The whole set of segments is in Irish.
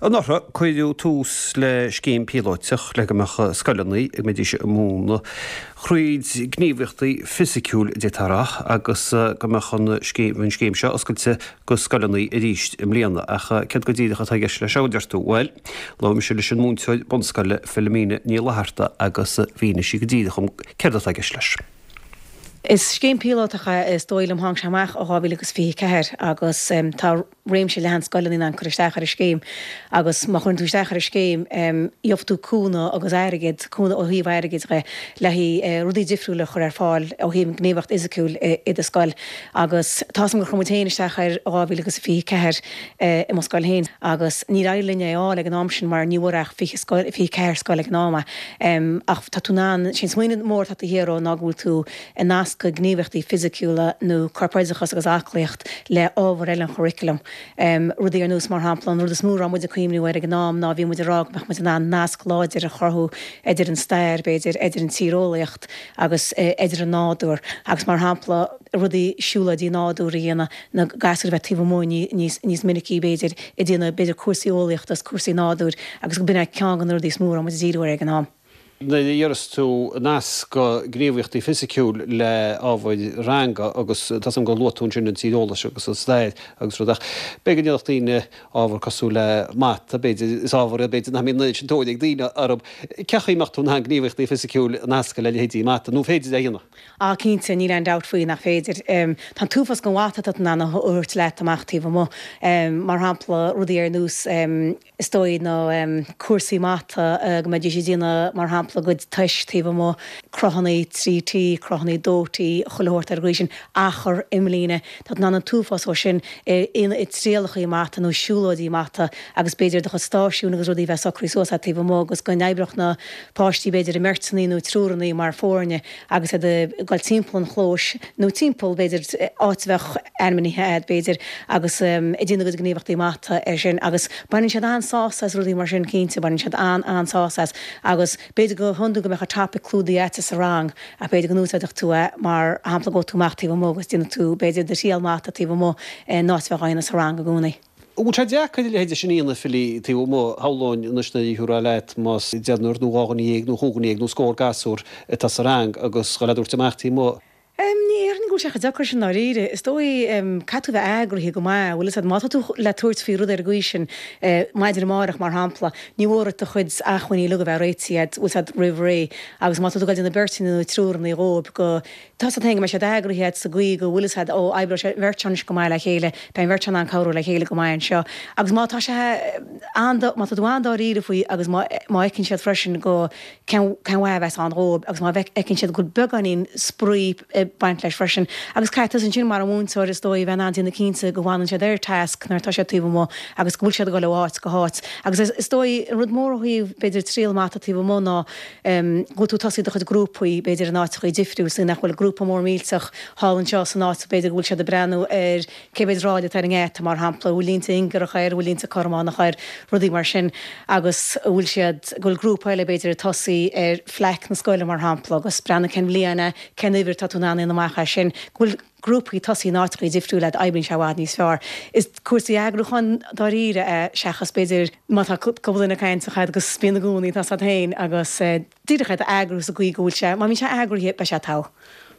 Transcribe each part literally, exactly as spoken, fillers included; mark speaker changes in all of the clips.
Speaker 1: Anuraidh cuireadh tús le scéim píolótach le go mbeadh scoileanna ag mbeidís ag múineadh thríd gníomhaíochtaí fisiciúil d'fhéadfá a rá agus go mbeadh an scéim an scéim seo oscailte go scoileanna arís i mbliana ach céard go díreach atá i gceist leis seo a deir tú? Bhuel, labhair mise leis an múinteoir bunscoile Philomena Ní Fhlatharta agus mhínigh sí go díreach dom céard atá i gceist leis.
Speaker 2: Is scéim píolótach é is dóigh liom tháinig sé amach ó dhá mhíle agus fiche ceathair agus tá réimse leathan scoileanna in ann cur isteach ar an scéim agus má chuireann tú isteach ar an scéim gheobhaidh tú cúnamh agus airgead, cúnamh ó thaobh airgid dhe le haghaidh rudaí difriúla a chur ar fáil ó thaobh gníomhaíocht fhisiciúil i do scoil agus tá a fhios agam gur chuir muid féin isteach air dhá mhíle agus fiche ceathair i mo scoil féin agus níor éirigh linn é a fháil ag an am sin mar ní bhfuair ach fiche scoil, fiche ceathair scoil ag an am é ach tá tú in ann, sé an smaoineamh mór atá taobh thiar dhó ná go bhfuil tú ag nascadh gníomhaíochtaí fisiciúla nó corpoideachas agus aclaíocht le ábhair eile an churaclaim. Rudaí ar nós, mar shampla, an rud is mó a raibh muid ag cuimhniú air ag an am ná bhí muid ag rá go mbeadh muid in ann nasc láidir a chruthú idir an stair, b'fhéidir, idir an tíreolaíocht agus idir an nádúr agus, mar shampla, rudaí, siúlóidí nádúir a dhéanamh, na gasúir a bheith taobh amuigh níos níos minicí, b'fhéidir, ag déanamh, b'fhéidir, cúrsaí eolaíochta agus cúrsaí nádúir agus b'in é ceann de na rudaí is mó a raibh muid ag díriú air ag an am.
Speaker 1: Nuair a deireas tú nascadh gníomhaíochtaí fisiciúil le ábhair ranga agus tá a fhios agam gur luaigh tú ansin an tíreolas agus an stair agus rud ach b'fhéidir go ndéanfadh daoine ábhar cosúil le mata, b'fhéidir, is ábhar é b'fhéidir nach mbíonn an oiread sin tóir ag daoine orthu. Cén chaoi a mbeadh tú in ann gníomhaíochtaí fisiciúil a nascadh le leithéidí mata nó féidir é a dhéanamh?
Speaker 2: Á cinnte, níl aon dabht faoi nach féidir. Tá an t-uafás den mhata atá tú in ann a thabhairt leat amach taobh amuigh. Mar shampla, rudaí ar nós is dóigh na cúrsaí mata go mbeidís ag déanamh mar shampla a gcuid tomhais taobh amuigh, cruthanna trí T, cruthanna dó T, chuile shórt ar an gcaoi sin, achar, imlíne, tá tú in ann an t-uafás dhó sin i dtrialachaí mata nó siúlóidí mata agus b'fhéidir do chuid stáisiún agus rudaí a bheith socraithe suas agat taobh amuigh agus go n-oibreodh na páistí b'fhéidir i mbeirteanna nó triúranna mar foirne agus iad ag dul timpeall an chlóis nó timpeall b'fhéidir áit a bheadh ainmnithe agat b'fhéidir agus ag déanamh a gcuid gníomhaíochtaí mata ar sin agus baineann siad an-sásamh as rudaí mar sin cinnte, baineann siad an-an-sásamh as agus b'fhéidir go hiondúil go mbeadh an topaic clúdaithe agat sa rang ach b'fhéidir go n-úsáidfeadh tú é mar shampla go tú amach taobh amuigh agus déanfaidh tú b'fhéidir do thriail mata taobh amuigh in áit a bheith á dhéanamh sa rang i gcónaí.
Speaker 1: An bhfuil sé deacair a leithéid sin a dhéanamh Philly taobh amuigh, shamhlóinn anois nuair a thiúrfá leat más deichniúr nó dhá dhuine dhéag nó chúig dhuine dhéag nó scór gasúr atá sa rang agus dhul á dtabhairt amach taobh amuigh.
Speaker 2: Ní déarfainn go bhfuil sé chomh deacair sin dáiríre. Is dóigh caithfidh tú a bheith eagraithe go maith, bhfuil fhios agat, má tá tú le tabhairt faoi rud ar an gcaoi sin, maidin amárach mar shampla, ní mór duit do chuid acmhainní uilig a bheith réitithe agat, bhfuil fhios agat, roimh ré. Agus má tá tú ag dul ag déanamh beirteanna nó triúranna dhóibh go, tá fhios agat féin go mbeidh siad eagraithe agat sa gcaoi go bhfuil fhios agat, ó, oibreoidh sé an bheirt seo anois go maith le chéile, beidh an bheirt seo in ann cabhrú le chéile go maith anseo. Agus má tá sé an, má tá tú an-dáiríre faoi agus má, má fheiceann siad freisin go, cén mhaith a bheas ann dhóibh agus má fheiceann siad go bhfuil beagáinín spraoi ag baint leis freisin. Agus caithfidh tusa ansin mar an mhúinteoir is dóigh a bheith in ann déanamh cinnte go bhfanann siad ar task nuair atá siad taobh amuigh agus go bhfuil siad ag dul ó áit go háit. Agus is dóigh an rud mór ó thaobh b'fhéidir triail mata taobh amuigh ná go bhfuil tú ag tosaí do chuid grúpaí b'fhéidir in áiteachaí difriúil so nach bhfuil grúpa mór millteach thall anseo san áit b'fhéidir go bhfuil siad ag breathnú ar cé mhéad ráille atá ar an ngeata, mar shampla, an bhfuil línte ingearacha air, an bhfuil línte cothrománacha air, rudaí mar sin, agus an bhfuil siad, go bhfuil grúpa eile, b'fhéidir, ag tosaí ar phlaic na scoile, mar shampla, agus breathnú cén bhliain é, cén uimhir atá tú in ann a dhéanamh amach as sin, go bhfuil grúpaí ag tosaí in áiteachaí difriúla, oibríonn sé i bhfad níos fearr. Is cúrsaí eagrúcháin dáiríre é, seachas, b'fhéidir, má tá cúpla duine ag caint agus bíonn i gcónaí, tá 's agat féin, agus díreach é a eagrú sa gcaoi go bhfuil sé, má bhíonn sé eagraithe, beidh sé togha.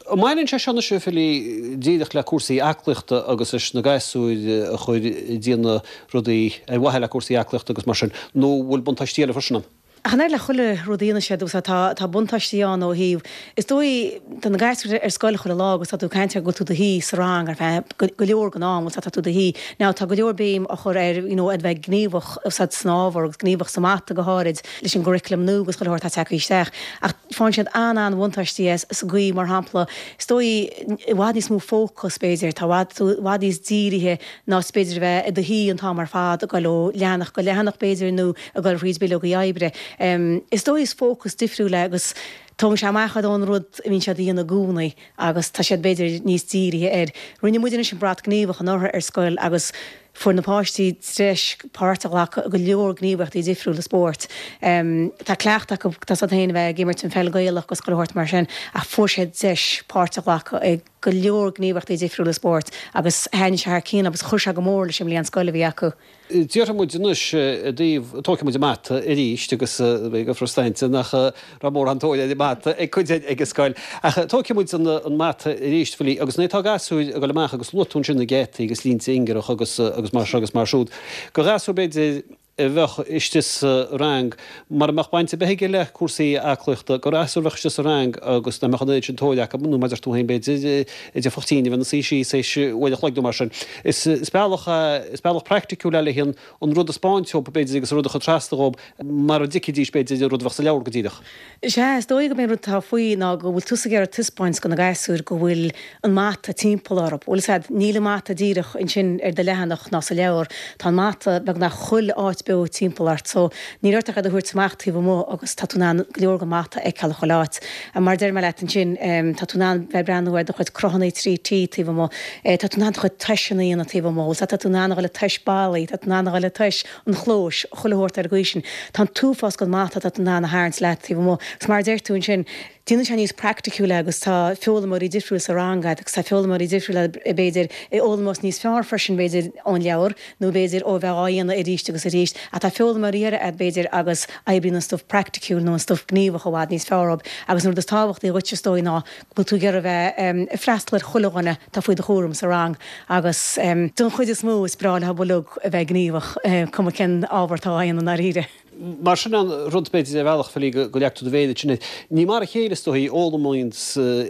Speaker 1: An mbaineann sé seo anois, a Philly, díreach le cúrsaí aclaíochta agus leis na gasúir a chur ag déanamh rudaí ar mhaithe le cúrsaí aclaíochta agus mar sin, nó an bhfuil buntáistí eile freisin ann?
Speaker 2: Ach an oiread le chuile rud a dhéanann siad, tá tá buntáistí ann ó thaobh, is dóigh, tá na gasúir ar scoil chuile lá agus tá tú ag caint ar go bhfuil tú i do shuí sa rang ar feadh go leor den am, bhfuil tá tú i do shuí. Now tá go leor béim á chur ar you know ar bheith gníomhach san ábhar agus gníomhach sa mata go háirid leis an gcuraclam nua agus chuile shórt atá tagtha isteach. Ach faigheann siad an-an-bhuntáistí as sa gcaoi, mar shampla, is dóigh, i bhfad níos mó fócas, b'fhéidir, tá i bhfad, tú i bhfad níos dírithe ná is b'fhéidir a bheith i do shuí an t-am ar fad, ag dul ó leathanach go leathanach, b'fhéidir, nó ag dul thríd bileogaí oibre. Is dóigh is fócas difriúil é agus tógann sé amach iad ón rud a bhíonn siad a dhéanamh i gcónaí agus tá siad, b'fhéidir, níos dírithe air. Rinne muid anois an Brat Gníomhach anuraidh ar scoil agus Fuair na páistí deis páirt a ghlacadh i go leor gníomhaíochtaí difriúla spóirt. Tá cleachtadh acu, tá 's agat féin, a bheith ag imirt an pheil Gaelach agus chuile shórt mar sin ach fuair siad deis páirt a ghlacadh i go leor gníomhaíochtaí difriúla spóirt agus thaitnigh sé thar cionn agus chuir sé go mór leis an mbliain scoile a bhí acu.
Speaker 1: Déarfaidh muid anois i dtaobh, tógfaidh muid an mata arís agus beidh go frustrante nach raibh mórán tóir ar an mata ag cuid ag an scoil. Ach tógfaidh muid an mata arís, Philí, agus nuair atá gasúir ag dul amach agus luaigh tú ansin na geataí agus línte ingearach agus agus mar seo agus mar siúd. Do ghasúr b'fhéidir a bheadh istigh sa rang, mara mbeadh baint ar bith aige le cúrsaí aclaíochta, do ghasúr a bheadh istigh sa rang agus nach mbeadh an oiread sin tóir acu, nó mar a deir tú féin b'fhéidir, a dtiocfadh tinn a bheith ina suí síos théis uair a chloig nó mar sin. Is bealach, is bealach praiticiúil é le an an rud a 'speáint dhób b'fhéidir agus an rud a chur trasna dhób mar a dtuigfidís b'fhéidir an rud a bheadh sa leabhar go díreach.
Speaker 2: Sea, is dóigh gurb é an rud atá faoi ná go bhfuil tusa ag iarraidh taispeáint do na gasúir go bhfuil an mata timpeall orthu. Bhfuil fhios a'd, níl an mata díreach ansin ar do leathanach ná sa leabhar, tá an mata beagnach chuile áit beo timpeall ort so níl ort ach iad a thabhairt amach taobh amuigh agus tá tú in ann go leor den mata a fheiceáil chuile áit. Mar a deir mé leat ansin, tá tú in ann bheith ag breathnú ar do chuid cruthanna trí T taobh amuigh, tá tú in ann do chuid toiseanna a dhéanamh taobh amuigh, bhfuil tá tú in ann a dhul ag tomhas ballaí, tá tú in ann a dhul ag tomhas an chlóis, chuile shórt ar an gcaoi sin. Tá an t-uafás den mata atá tú in ann a tharraingt leat taobh amuigh. Agus mar a deir tú ansin, Déanann sé níos praiticiúla agus tá foghlaimeoirí difriúil sa rang agat agus tá foghlaimeoirí difriúla b'fhéidir a fhoghlaimeos níos fearr freisin b'fhéidir ón leabhar nó b'fhéidir ó bheith á dhéanamh arís agus arís ach tá foghlaimeoirí eile agat b'fhéidir agus oibríonn an stuif praiticiúil nó an stuif gníomhach i bhfad níos fearr dóibh agus an rud is tábhachtaí dhuit is dóigh ná go bhfuil tú ag iarraidh bheith ag freastal ar chuile dhuine atá faoi do chúram sa rang agus don chuid is mó is breá leo uilig a bheith gníomhach cuma cén ábhar atá á dhéanamh i ndáiríre.
Speaker 1: Mar sin an rud b'fhéidir ar bhealach Philí go leag tú do mhéar ansin air. Ní mar a chéile is dóichí a fhoghlaimíonn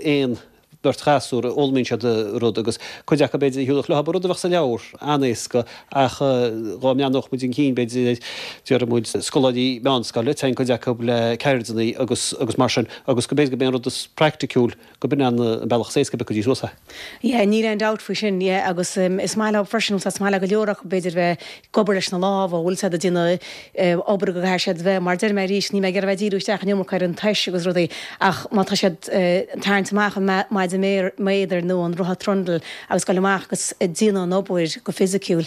Speaker 1: aon bheirt ghasúr, a fhoghlaimíonn siad rud agus cuid acu b'fhéidir a thiúrfadh leo rud a bheadh sa leabhar an-éasca ach dhá mbreathnódh muid chun cinn b'fhéidir déarfaidh muid scoláirí meánscoile, téann cuid acu le ceirdeanna agus agus mar sin agus go b'fhéidir go mb'é an rud is praiticiúil go b'in an bealach is éasca a bpiocfaidís suas é.
Speaker 2: Yeah, níl aon dabht faoi sin, yeah, agus is maith leo freisin, is maith le go leor acu b'fhéidir bheith ag obair leis na lámha, bhfuil siad ag déanamh obair go gcaithfidh siad bheith, mar deir mé arís, níl mé ag iarraidh bheith ag díriú isteach an iomarca ar an tomhas agus rudaí ach má tá siad ag tarraingt amach an maide méadair nó an rotha trundle agus dul amach agus ag déanamh an obair go fisiciúil,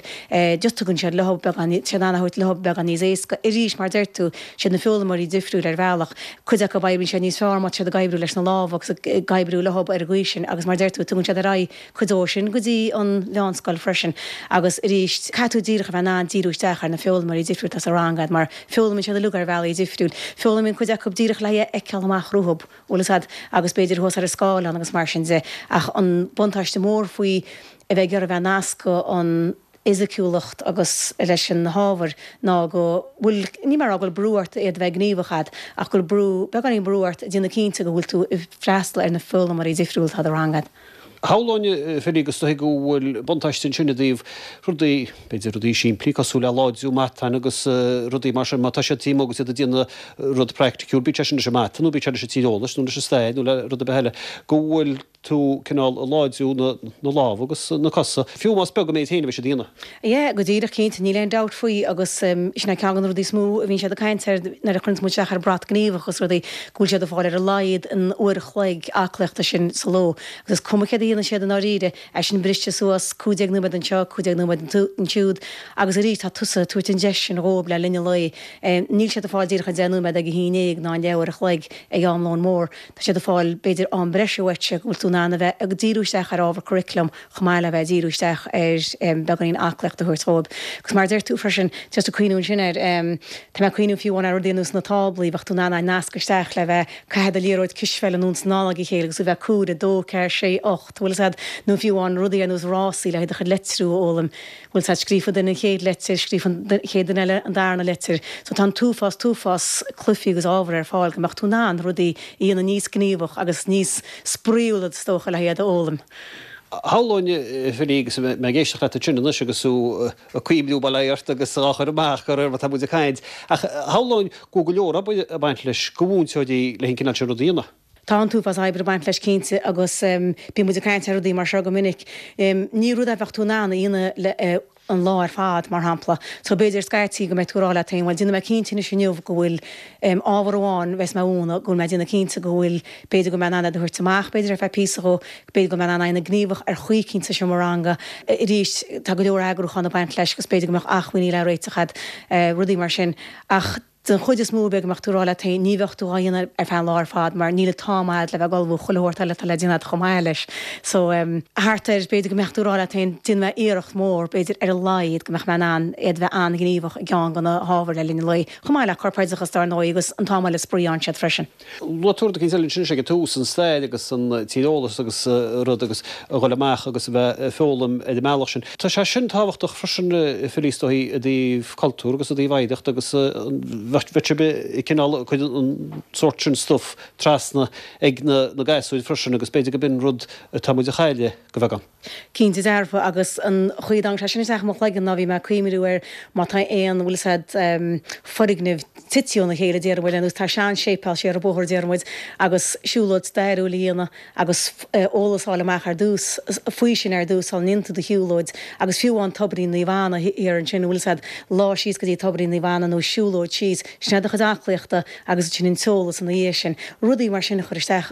Speaker 2: just tugann siad leo beagán, tá siad in ann a thabhairt leo beagán níos éasca. Arís, mar deir tú, siad na foghlaimeoirí difriúil ar bhealach, cuid acu oibríonn siad níos fearr má tá siad ag oibriú leis na lámha agus ag oibriú leo ar an gcaoi sin agus mar deir tú, tugann siad ar aghaidh cuid dó sin go dtí an mheánscoil freisin agus arís, caithfidh tú díreach a bheith in ann díriú isteach ar na foghlaimeoirí difriúil atá sa rang agat mar foghlaimíonn siad uilig ar bhealaí difriúil. Foghlaimíonn cuid acu díreach le é a fheiceáil amach rompu, bhfuil fhios a'd, agus b'fhéidir thuas ar an scáileán agus mar sin de ach an buntáiste mór faoi a bheith ag iarraidh a bheith ag nascadh an fhisiciúlacht agus leis an hábhar ná go bhfuil, ní mé a rá go bhfuil brú ort iad a bheith gníomhach a'd, ach go bhfuil brú, beagáinín brú ort déanamh cinnte go bhfuil tú ag freastal ar na foghlaimeoirí difriúla atá i do rang a'd.
Speaker 1: Shamhlóinn, a Philí, agus is dóigh go bhfuil buntáiste ansin i dtaobh rudaí, b'fhéidir rudaí simplí cosúil le láidriú matáin agus rudaí mar sin, má tá siad taobh amuigh agus iad ag déanamh rud praiticiúil, bíodh sé sin leis an mata nó bíodh sé leis an tíreolas nó leis an stair nó le rud ar bith eile, go bhfuil tú cineál ag láidriú na lámha agus na cosa, fiú más beag an méid féin a bheidh siad a dhéanamh.
Speaker 2: Yeah, go díreach, cinnte, níl aon dabht faoi agus sin é ceann de na rudaí is mó a bhíonn siad ag caint air nuair a chuireanns muid isteach ar brat gníomhach agus rudaí, go bhfuil siad ag fáil ar a laghad an uair a chloig aclaíochta sin sa ló agus is cuma céard a dhéanann siad i ndáiríre, é sin briste suas, cúig déag nóiméad anseo, cúig déag nóiméad ansiúd agus arís tá tusa ag tabhairt an deis sin dhóibh le linn an lae. Níl siad ag fáil díreach an deich nóiméad ag a haon déag ná an leathuair a chloig ag am lóin mór. Tá siad ag fáil, b'fhéidir, am breise uaitse go bhfuil tú in ann a bheith ag díriú isteach ar ábhar curriculum chomh maith le bheith ag díriú isteach ar beagáinín aclaíocht a thabhairt dhóibh. Agus mar a deir tú freisin, just ag cuimhniú ansin air, tá mé ag cuimhniú fiú amháin ar rudaí ar nós na táblaí, bheadh tú in ann a nascadh isteach le bheith ag caitheamh do liathróid cispheile anonn is anall ag a chéile agus tú bheith ag comhaireamh, dó, ceathair, sé, ocht, bhfuil fhios a'd, nó fiú amháin rudaí ar nós rásaí le haghaidh do chuid litriú a fhoghlaim. Bhfuil fhios a'd, scríofa duine an chéad leitir, scríofa an chéad duine eile an darna leitir. So tá an t-uafás, t-uafás cluichí agus ábhar ar fáil go mbeadh tú in ann rudaí a dhéanamh níos gníomhach agus níos spraíúla is dócha le iad a fhoghlaim.
Speaker 1: Shamhlóinn, a Philí, agus mé ag éisteacht leat ansin anois agus tú ag cuimhniú, bail ó Dhia ort, agus á chur amach de réir mar atá muid ag caint, ach shamhlóinn go bhfuil go leor obair ag baint leis do mhúinteoirí le an cineál sin rud a dhéanamh.
Speaker 2: Tá an t-uafás oibre ag baint leis cinnte agus bíonn muid ag caint ar rudaí mar seo go minic. Ní rud é a bheadh tú in ann a dhéanamh le an lá ar fad, mar shampla. So b'fhéidir scaití go mbeidh tú ag rá leat féin, bhuel déanfaidh mé cinnte anois inniu go bhfuil ábhar amháin bheas mé a mhúineadh, go bhfuil mé ag déanamh cinnte go bhfuil, b'fhéidir go mbeidh mé in ann iad a thabhairt amach b'fhéidir ar feadh píosa dhó, b'fhéidir go mbeidh mé in ann a dhéanamh gníomhach ar chaoi eicínt sa seomra ranga. Arís, tá go leor eagrúchán ag baint leis agus b'fhéidir go mbeadh acmhainní le réiteach agat, rudaí mar sin. Ach. Den chuid is mó b'fhéidir go mbeadh tú ag rá leat féin ní bheadh tú á dhéanamh ar feadh an lá ar fad mar níl an t-am a'd le bheith ag ullmhú chuile shórt eile atá le déanamh a'd chomh maith leis. So thart ar, b'fhéidir go mbeadh tú ag rá leat féin déanfaidh mé iarracht mhór b'fhéidir ar a laghad go mbeadh mé in ann iad bheith an-ghníomhach i gceann de na hábhair le linn an lae, chomh maith le corpoideachas dar ndóigh agus an t-am eile spraoi ann siad freisin.
Speaker 1: Luaigh tú rud eicínt eile ansin ag an tús, an stair agus an tíreolas agus rud agus a dhul amach agus a bheith ag foghlaim ar an mbealach sin. Tá sé sin tábhachtach freisin a Philly is dóigh i dtaobh cultúr agus i dtaobh oidhreacht agus bheadh sibh ag cineál cur an sórt sin stuif trasna ag na gasúir freisin agus b'fhéidir go b'in rud atá muid a chailleadh go bheagán.
Speaker 2: Cinnte dearfa agus an chaoi a dtáinig sé sin isteach i mo chloigeann ná bhí mé ag cuimhniú ar má tá aon, bhfuil fhios a'd, foirgneamh tite óna chéile déarfaidh muid, ar nós tá sean-séipéal siar an bóthar déarfaidh muid agus siúlóid stairiúil a dhéanamh agus eolas a fháil amach ar dtús faoi sin ar dtús sula ndéanann tú do shiúlóid agus fiú amháin Tobairín Naomh Anna thiar ansin bhfuil fhios a'd, lá síos go dtí Tobairín Naomh Anna nó siúlóid síos, sin é do chuid aclaíochta agus ansin an t-eolas ina dhiaidh sin. Rudaí mar sin a chur isteach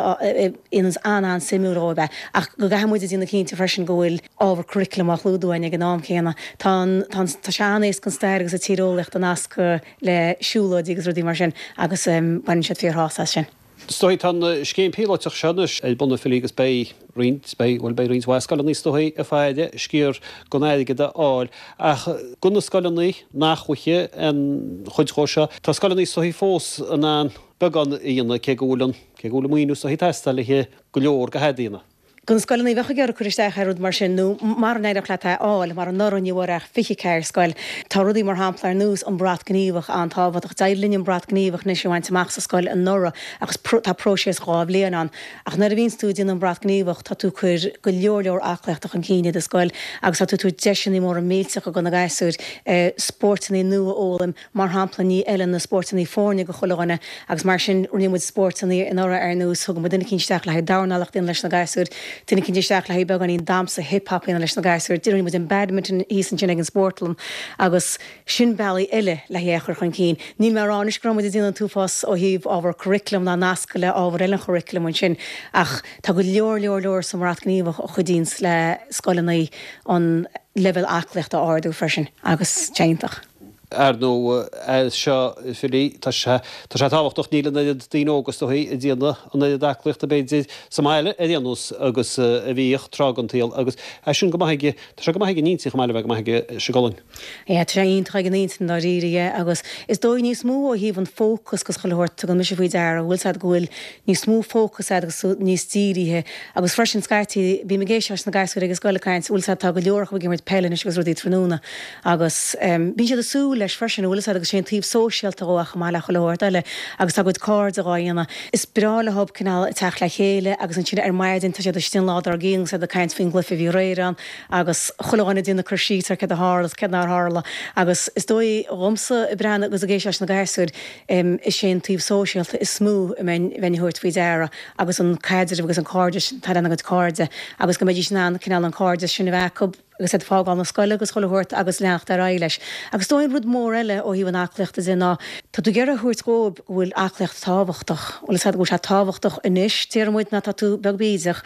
Speaker 2: ionas an-an-suimiúil dhóibh é ach go gcaithfidh muid a dhéanamh cinnte freisin go bhfuil ábhar curriculum á chlúdú againn ag an am céanna. Tá an, tá an, tá sé an-éasca an stair agus an tíreolaíocht a nascadh le siúlóidí agus rudaí mar sin agus baineann siad fíorshásamh as sin.
Speaker 1: Is dóigh, tá an scéim píolótach seo anois ar bun a Philly agus beidh roinnt, beidh, bhuel beidh roinnt mhaith scoileanna is dóigh ag faire sciar den airgead a fháil ach do na scoileanna nach bhfaighidh aon chuid dhó seo, tá scoileanna is dóigh fós in ann beagán a dhéanamh cé go bhfuil an, cé go bhfuil an maoiniú is dóigh ag teastáil le go leor de a dhéanamh.
Speaker 2: Do na scoileanna a bheadh ag iarraidh cur isteach ar rud mar sin, nó mara n-éireodh leat é a fháil, mar anuraidh ní bhfuair ach fiche ceathair scoil, tá rudaí mar shampla ar nós an Brat Gníomhach an-tábhachtach. D'éirigh linn an Brat Gníomhach anois a bhaint amach sa scoil anuraidh ach tá próiseas dhá bhliain ann. Ach nuair a bhíonns tú ag déanamh an Brat Gníomhach tá tú ag cur go leor leor aclaíochta chun cinn i do scoil agus tá tú ag tabhairt deiseanna móra millteacha do na gasúir spórtanna nua a fhoghlaim, mar shampla ní fheileann na spórtanna foirne do chuile dhuine agus mar sin rinne muid spórtanna anuraidh ar nós thug muid duine eicínt isteach le haghaidh dornálaíocht a dhéanamh leis na gasúir, duine eicínt isteach le haghaidh beagáinín damhsa hip hop a dhéanamh leis na gasúir, rinne muid an badminton thíos ansin ag an spórtlann agus sin bealaí eile le hé a chur chun cinn. Níl mé ag rá anois go raibh muid ag déanamh an t-uafás ó thaobh ábhar curriculum ná nascadh le ábhar eile an churriculum ansin ach tá go leor leor leor sa mBrat Gníomhach a chuidíonns le scoileanna an leibhéal aclaíochta a ardú freisin agus tá sé iontach.
Speaker 1: Ar ndóigh, é seo, Philly, tá sé, tá sé tábhachtach, níl an oiread daoine óga is dóichí ag déanamh an oiread aclaíochta b'fhéidir sa mbaile ar aon nós agus a bhíodh tráth den tsaol agus é sin go maith ag, tá sé go maith ag an intinn chomh maith le bheith go maith ag an gcolainn.
Speaker 2: Yeah, tá sé iontach ag an intinn dáiríre, yeah, agus is dóigh níos mó ó thaobh an fócas agus chuile shórt, tugann mise faoi deara, bhfuil 's a'd go bhfuil níos mó fócas a'd agus tú níos dírithe agus freisin scaití bím ag éisteacht leis na gasúir ag an scoil ag caint, bhfuil 's a'd tá go leor acu ag imirt peile anois agus rudaí tráthnóna agus bíonn siad ag súil leis freisin, bhfuil 'fhios a'd, agus sé an taobh sóisialta dhó chomh maith le chuile shórt eile agus tá a gcuid cairde dhá dhéanamh. Is breá leob cineál teacht le chéile agus ansin ar maidin tá siad istigh an lá dár gcionn agus iad ag caint faoin gcluiche a bhí aréir ann agus chuile dhuine ag déanamh cur síos ar céard a tharla is céard nár tharla agus is dóigh dhomsa ag breathnú agus ag éisteacht leis na gasúir is é an taobh sóisialta is mó a mbeinn a thabhairt faoi deara agus an caidreamh agus an cairdeas atá lena gcuid cairde agus go mbeidís in ann cineál an cairdeas sin a bheith acu agus iad ag fágáil na scoile agus chuile shórt agus leanacht ar aghaidh leis. Agus is dóigh an rud mór eile ó thaobh an aclaíochta de ná tá tú ag iarraidh a thabhairt dhóibh go bhfuil aclaíocht tábhachtach, bhfuil 'fhios a'd, go bhfuil sé tábhachtach anois, déarfaidh muid, ná tá tú beag bídeach,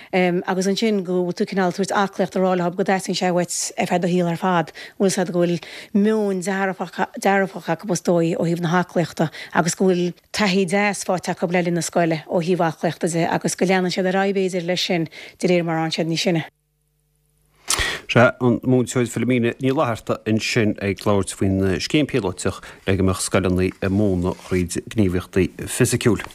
Speaker 2: agus ansin go bhfuil tú cineál ag tabhairt aclaíocht a rá leo go dteastaíonn sé uait ar feadh do shaoil ar fad, bhfuil 'fhios a'd, go bhfuil meon dearfach dearfach acu is dóigh ó thaobh na haclaíochta agus go bhfuil taithí deas faighte acu le linn na scoile ó thaobh aclaíochta de agus go leanann siad ar aghaidh b'fhéidir leis sin de réir mar a fhaigheann siad níos sine.
Speaker 1: Sea, an múinteoir Philomena Ní Fhlatharta ansin ag labhairt faoin scéim píolótach le go mbeadh scoileanna ag múineadh thríd gníomhaíochtaí fisiciúil.